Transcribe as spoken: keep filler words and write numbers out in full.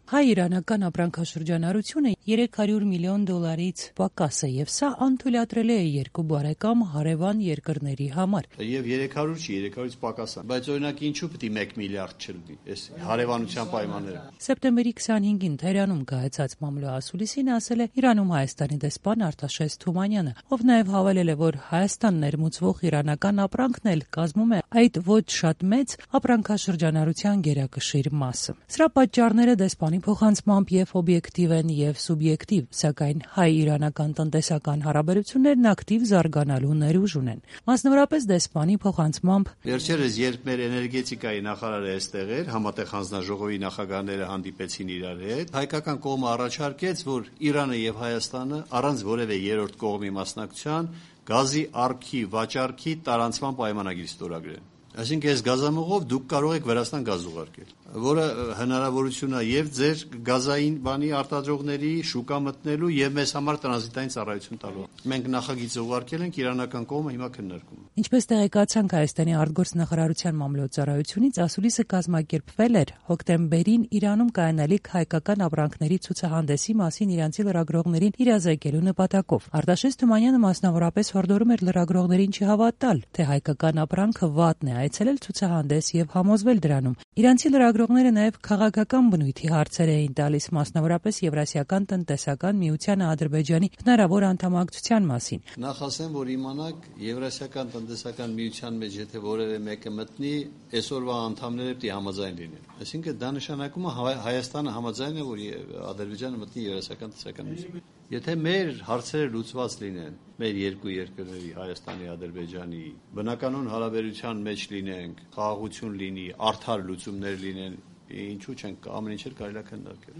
Հայ-իրանական ապրանքաշրջանառությունը երեք հարյուր միլիոն դոլարից պակաս է, եւ սա անթույլատրելի է երկու բարեկամ հարևան երկրների համար։ Եվ երեք հարյուր չի, երեք հարյուրից պակաս է, բայց օրինակ ինչու պետք է մեկ միլիարդ չլինի այս հարևանության պայմանները։ Սեպտեմբերի քսանհինգին Թեհրանում կայացած մամլո ասուլիսին ասել է Իրանում Հայաստանի դեսպան Արտաշես Թումանյանը, ով նաեւ հավելել է, որ Հայաստան ներմուծվող իրանական ապրանքն էլ կազմում է այդ ոչ շատ մեծ ապրանքաշրջանառության գերակշիռ մասը։ Սրա պատճառները դեսպանի փոխանցմամբ եւ օբյեկտիվ են եւ սուբյեկտիվ, սակայն հայ-իրանական տնտեսական հարաբերություններն ակտիվ զարգանալու ներուժ ունեն։ Մասնավորապես դեսպանի փոխանցմամբ վերջերս երբ մեր էներգետիկայի նախարարը այստեղ էր, համատեղ հանձնաժողովի նախագահները հանդիպեցին իրար հետ, հայկական կողմը առաջարկեց, որ Իրանը եւ Հայաստանը առանց որևէ երրորդ կողմի մասնակցության գազի առքի վաճառքի տարանցման պայմանագիր ստորագրեն։ Այսինքն այս գազամուղով դուք կարող եք Վրաստան գազ ուղարկել, որը հնարավորություն է եւ ձեր գազային բանի արտադրողների շուկա մտնելու եւ մեզ համար տրանզիտային ծառայություն տալու։ Մենք նախագիծը ուղարկել ենք, իրանական կողմը հիմա քննարկում է։ Ինչպես տեղեկացանք Հայաստանի արտգործնախարարության մամլոյցարայությունից, ասուլիսը կազմակերպվել էր հոկտեմբերին Իրանում կայանալիք հայկական ապրանքների ցուցահանդեսի մասին իրանցի լրագրողներին իրազեկելու նպատակով։ Արտաշես Թումանյանը մասնավորապես հորդորում էր լրագրողներին չհավատալ, թե հայկական ապրանքը վատն է, այցելել ցուցահանդես եւ համոզվել դրանում։ Իրանցի լրագրողները նաեւ քաղաքական բնույթի հարցեր էին տալիս, մասնավորապես Եվրասիական տնտեսական միության Ադրբեջանի հնարավոր անդամակցության մասին։ Նախ ասեմ, որ իմանաք Եվրասիական տնտեսական միության մեջ եթե որևէ մեկը մտնի, այսօրվա անդամները պետք է համաձայն լինեն։ Այսինքն դա նշանակում է Հայաստանը համաձայն է, որ Ադրբեջանը մտնի Եվրասիական տնտեսական միություն։ Եթե մեր հարցերը լուծված լինեն, մեր երկու երկրների Հայաստանի, Ադրբեջանի բնականon հարաբերության մեջ լինենք, խաղաղություն լինի, արդար լուծումներ լինեն, ինչու՞ չենք ամեն ինչ կարելի է քննարկել։